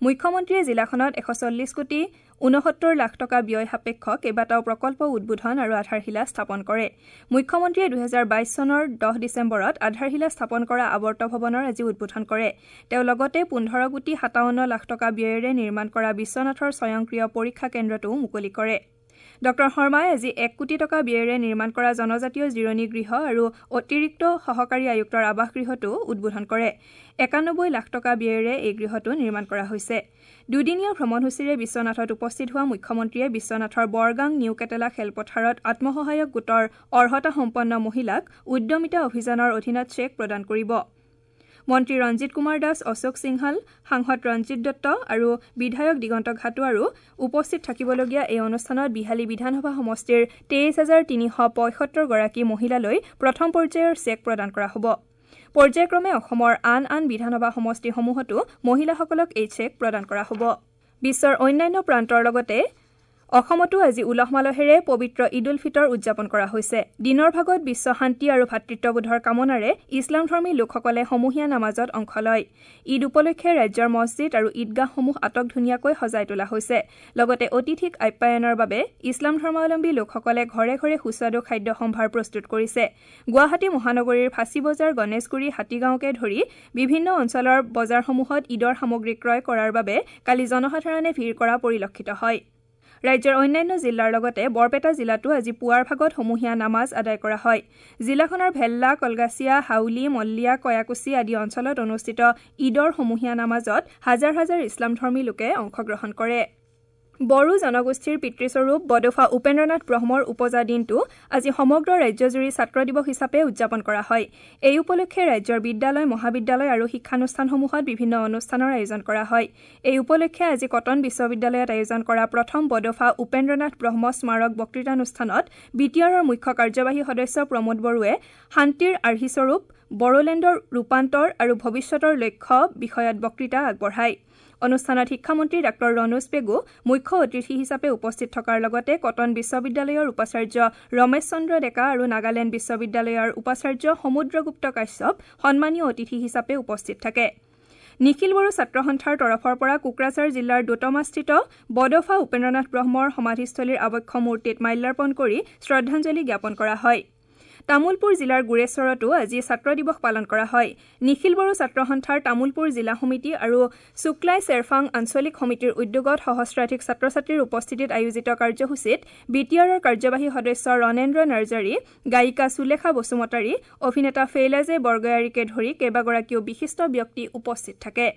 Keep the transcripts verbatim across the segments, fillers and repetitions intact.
মুখ্যমন্ত্ৰীয়ে জিলাখনত এশ চল্লিছ কোটি ঊনসত্তৰ লাখ টকা ব্যয় সাপেক্ষ কেইবাটাও প্ৰকল্প উদ্বোধন আৰু আধাৰশিলা স্থাপন কৰে। মুখ্যমন্ত্ৰীয়ে দুহেজাৰ বাইছ চনৰ দহ ডিচেম্বৰত আধাৰশিলা স্থাপন কৰা আৱৰ্ত ভৱনৰ আজি উদ্বোধন কৰে। তেওঁ লগতে পোন্ধৰ কোটি সাতাৱন্ন লাখ টকা ব্যয়েৰে নিৰ্মাণ কৰা বিশ্বনাথৰ স্বয়ংক্ৰিয় পৰীক্ষা কেন্দ্ৰটোও মুকলি কৰে। ডঃ শৰ্মাই আজি এক কোটি টকা ব্যয়েৰে নিৰ্মাণ কৰা জনজাতীয় জিৰণি গৃহ আৰু অতিৰিক্ত সহকাৰী আয়ুক্তৰ আৱাসগৃহটোও উদ্বোধন কৰে। একানব্বৈ লাখ টকা ব্যয়েৰে এই গৃহটো নিৰ্মাণ কৰা হৈছে। দুদিনীয়া ভ্ৰমণসূচীৰে বিশ্বনাথত উপস্থিত হোৱা মুখ্যমন্ত্ৰীয়ে বিশ্বনাথৰ বৰগাং নিউ কেটেলা খেলপথাৰত আত্মসহায়ক গোটৰ অৰ্হতাসম্পন্ন মহিলাক উদ্যমিতা অভিযানৰ অধীনত চেক প্ৰদান কৰিব। মন্ত্ৰী ৰঞ্জিত কুমাৰ দাস, অশোক সিংহাল, সাংসদ ৰঞ্জিত দত্ত আৰু বিধায়ক দিগন্ত ঘাটোৱাৰো উপস্থিত থাকিবলগীয়া এই অনুষ্ঠানত বিহালী বিধানসভা সমষ্টিৰ তেইছ হাজাৰ তিনিশ পঁয়সত্তৰগৰাকী মহিলালৈ প্ৰথম পৰ্যায়ৰ চেক প্ৰদান কৰা হ'ব। পৰ্যায়ক্ৰমে অসমৰ আন আন বিধানসভা সমষ্টিসমূহতো মহিলাসকলক এই চেক প্ৰদান কৰা হ'ব। বিশ্বৰ অন্যান্য প্ৰান্তৰ লগতে অসমতো আজি উলহ মালহেৰে পবিত্ৰ ঈদ উল ফিতৰ উদযাপন কৰা হৈছে। দিনৰ ভাগত বিশ্ব শান্তি আৰু ভাতৃত্ববোধৰ কামনাৰে ইছলামধৰ্মী লোকসকলে সমূহীয়া নামাজত অংশ লয়। ঈদ উপলক্ষে ৰাজ্যৰ মছজিদ আৰু ঈদগাহসমূহ আটক ধুনীয়াকৈ সজাই তোলা হৈছে। লগতে অতিথিক আপ্যায়নৰ বাবে ইছলাম ধৰ্মাৱলম্বী লোকসকলে ঘৰে ঘৰে সুস্বাদু খাদ্য সম্ভাৰ প্ৰস্তুত কৰিছে। গুৱাহাটী মহানগৰীৰ ফাঁচী বজাৰ, গণেশগুৰি, হাতীগাঁওকে ধৰি বিভিন্ন অঞ্চলৰ বজাৰসমূহত ঈদৰ সামগ্ৰী ক্ৰয় কৰাৰ বাবে কালি জনসাধাৰণে ভিৰ কৰা পৰিলক্ষিত হয়। ৰাজ্যৰ অন্যান্য জিলাৰ লগতে বৰপেটা জিলাতো আজি পুৱাৰ ভাগত সমূহীয়া নামাজ আদায় কৰা হয়। জিলাখনৰ ভেল্লা, কলগাছিয়া, হাউলি, মল্লিয়া, কয়াকুছি আদি অঞ্চলত অনুষ্ঠিত ঈদৰ সমূহীয়া নামাজত হাজাৰ হাজাৰ ইছলামধৰ্মী লোকে অংশগ্ৰহণ কৰে। বড়ো জনগোষ্ঠীৰ পিতৃস্বৰূপ বডোফা উপেন্দ্ৰনাথ ব্ৰহ্মৰ উপজা দিনটো আজি সমগ্ৰ ৰাজ্যজুৰি ছাত্ৰ দিৱস হিচাপে উদযাপন কৰা হয়। এই উপলক্ষে ৰাজ্যৰ বিদ্যালয়, মহাবিদ্যালয় আৰু শিক্ষানুষ্ঠানসমূহত বিভিন্ন অনুষ্ঠানৰ আয়োজন কৰা হয়। এই উপলক্ষে আজি কটন বিশ্ববিদ্যালয়ত আয়োজন কৰা প্ৰথম বডোফা উপেন্দ্ৰনাথ ব্ৰহ্ম স্মাৰক বক্তৃতানুষ্ঠানত বি টি আৰৰ মুখ্য কাৰ্যবাহী সদস্য প্ৰমোদ বড়োৱে শান্তিৰ আৰ্হিস্বৰূপ বড়োলেণ্ডৰ ৰূপান্তৰ আৰু ভৱিষ্যতৰ লক্ষ্য বিষয়ত বক্তৃতা আগবঢ়ায়। অনুষ্ঠানত শিক্ষামন্ত্ৰী ডাঃ ৰণোজ পেগু মুখ্য অতিথি হিচাপে উপস্থিত থকাৰ লগতে কটন বিশ্ববিদ্যালয়ৰ উপাচাৰ্য ৰমেশ চন্দ্ৰ ডেকা আৰু নাগালেণ্ড বিশ্ববিদ্যালয়ৰ উপাচাৰ্য সমুদ্ৰগুপ্ত কাশ্যপ সন্মানীয় অতিথি হিচাপে উপস্থিত থাকে। নিখিল বড়ো ছাত্ৰ সন্থাৰ তৰফৰ পৰা কোকৰাঝাৰ জিলাৰ দোতমাস্থিত বডোফা উপেন্দ্ৰনাথ ব্ৰহ্মৰ সমাধিস্থলীৰ আৱক্ষ মূৰ্তিত মাল্যাৰ্পণ কৰি শ্ৰদ্ধাঞ্জলি জ্ঞাপন কৰা হয়। তামুলপুৰ জিলাৰ গোৰেশ্বৰতো আজি ছাত্ৰ দিৱস পালন কৰা হয়। নিখিল বড়ো ছাত্ৰ সন্থাৰ তামুলপুৰ জিলা সমিতি আৰু শুক্লাই চেৰফাং আঞ্চলিক সমিতিৰ উদ্যোগত সহস্ৰাধিক ছাত্ৰ ছাত্ৰীৰ উপস্থিতিত আয়োজিত কাৰ্যসূচীত বি টি আৰৰ কাৰ্যবাহী সদস্য ৰণেন্দ্ৰ নাৰ্জাৰী, গায়িকা সুলেখা বসুমতাৰী, অভিনেতা ফেইলাজে বৰগয়াৰীকে ধৰি কেইবাগৰাকীও বিশিষ্ট ব্যক্তি উপস্থিত থাকে।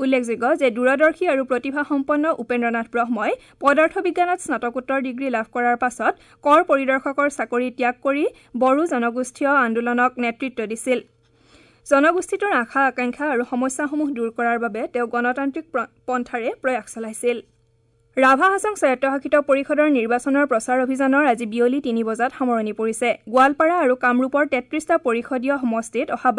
উল্লেখযোগ্য যে দূৰদৰ্শী আৰু প্ৰতিভাসম্পন্ন উপেন্দ্ৰনাথ ব্ৰহ্মই পদাৰ্থ বিজ্ঞানত স্নাতকোত্তৰ ডিগ্ৰী লাভ কৰাৰ পাছত কৰ পৰিদৰ্শকৰ চাকৰি ত্যাগ কৰি বড়ো জনগোষ্ঠীয় আন্দোলনক নেতৃত্ব দিছিল। জনগোষ্ঠীটোৰ আশা আকাংক্ষা আৰু সমস্যাসমূহ দূৰ কৰাৰ বাবে তেওঁ গণতান্ত্ৰিক পন্থাৰে প্ৰয়াস চলাইছিল। ৰাভা হাছং স্বায়ত্তশাসিত পৰিষদৰ নিৰ্বাচনৰ প্ৰচাৰ অভিযানৰ আজি বিয়লি তিনি বজাত সামৰণি পৰিছে। গোৱালপাৰা আৰু কামৰূপৰ তেত্ৰিশটা পৰিষদীয় সমষ্টিত অহা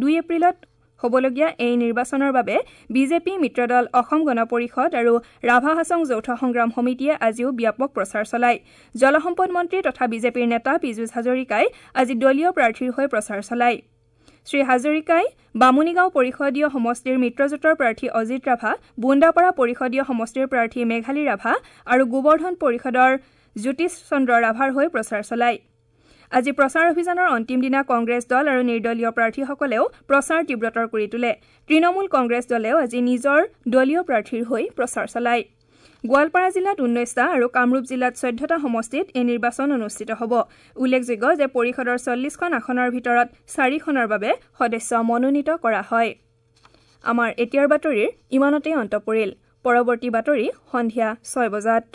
দুই এপ্ৰিলত হ'বলগীয়া এই নিৰ্বাচনৰ বাবে বিজেপি মিত্ৰদল অসম গণ পৰিষদ আৰু ৰাভা হাছং যৌথ সংগ্ৰাম সমিতিয়ে আজিও ব্যাপক প্ৰচাৰ চলায়। জলসম্পদ মন্ত্ৰী তথা বিজেপিৰ নেতা পীযুষ হাজৰিকাই আজি দলীয় প্ৰাৰ্থীৰ হৈ প্ৰচাৰ চলায়। শ্ৰী হাজৰিকাই বামুণীগাঁও পৰিষদীয় সমষ্টিৰ মিত্ৰজোঁটৰ প্ৰাৰ্থী অজিত ৰাভা, বোন্দাপাৰা পৰিষদীয় সমষ্টিৰ প্ৰাৰ্থী মেঘালী ৰাভা আৰু গোবৰ্ধন পৰিষদৰ জ্যোতিষ চন্দ্ৰ ৰাভাৰ হৈ প্ৰচাৰ চলায়। আজি প্ৰচাৰ অভিযানৰ অন্তিম দিনা কংগ্ৰেছ দল আৰু নিৰ্দলীয় প্ৰাৰ্থীসকলেও প্ৰচাৰ তীব্ৰতৰ কৰি তোলে। তৃণমূল কংগ্ৰেছ দলেও আজি নিজৰ দলীয় প্ৰাৰ্থীৰ হৈ প্ৰচাৰ চলায়। গোৱালপাৰা জিলাত ঊনৈশটা আৰু কামৰূপ জিলাত চৈধ্যটা সমষ্টিত এই নিৰ্বাচন অনুষ্ঠিত হ'ব। উল্লেখযোগ্য যে পৰিষদৰ চল্লিছখন আসনৰ ভিতৰত চাৰিখনৰ বাবে সদস্য মনোনীত কৰা হয়। আমাৰ এতিয়াৰ বাতৰিৰ ইমানতেই অন্ত পৰিল। পৰৱৰ্তী বাতৰি সন্ধিয়া ছয় বজাত।